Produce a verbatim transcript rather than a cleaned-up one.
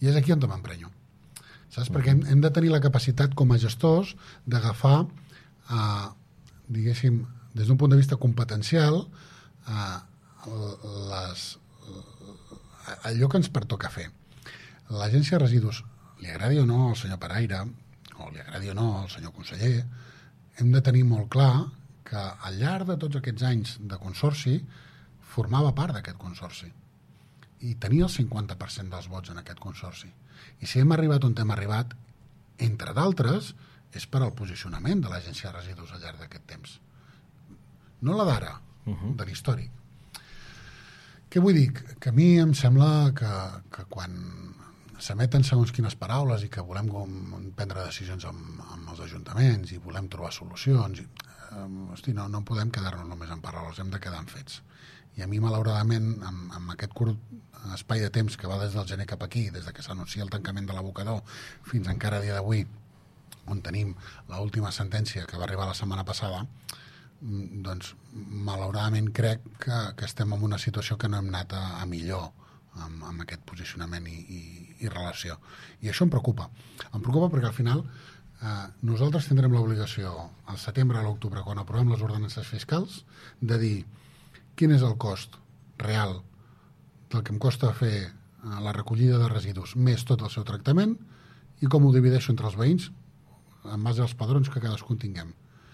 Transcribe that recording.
I és aquí on m'emprenyo. Saps? Mm. Perquè hem, hem de tenir la capacitat com a gestors d'agafar, eh, diguéssim, des d'un punt de vista competencial, eh, les, allò que ens pertoca fer. L'agència de residus, li agradi o no al senyor Paraire, o li agradi o no al senyor conseller, hem de tenir molt clar que al llarg de tots aquests anys de consorci formava part d'aquest consorci i tenia el cinquanta per cent dels vots en aquest consorci. I si hem arribat on hem arribat, entre d'altres, és per al posicionament de l'agència de residus al llarg d'aquest temps. No la d'ara, uh-huh. de l'històric. Què vull dir? Que a mi em sembla que, que quan s'emeten segons quines paraules i que volem prendre decisions amb, amb els ajuntaments i volem trobar solucions, i, eh, hosti, no, no podem quedar-nos només en paraules, hem de quedar en fets. I a mi, malauradament, amb, amb aquest curt espai de temps que va des del gener cap aquí, des de que s'anuncia el tancament de l'abocador fins encara a dia d'avui, on tenim l'última sentència que va arribar la setmana passada, doncs, malauradament crec que, que estem en una situació que no hem anat a, a millor amb, amb aquest posicionament i, i, i relació. I això em preocupa. Em preocupa perquè al final eh, nosaltres tindrem l'obligació al setembre o a l'octubre, quan aprovem les ordenances fiscals, de dir quin és el cost real del que em costa fer la recollida de residus més tot el seu tractament i com ho divideixo entre els veïns en base als padrons que cadascun tinguem.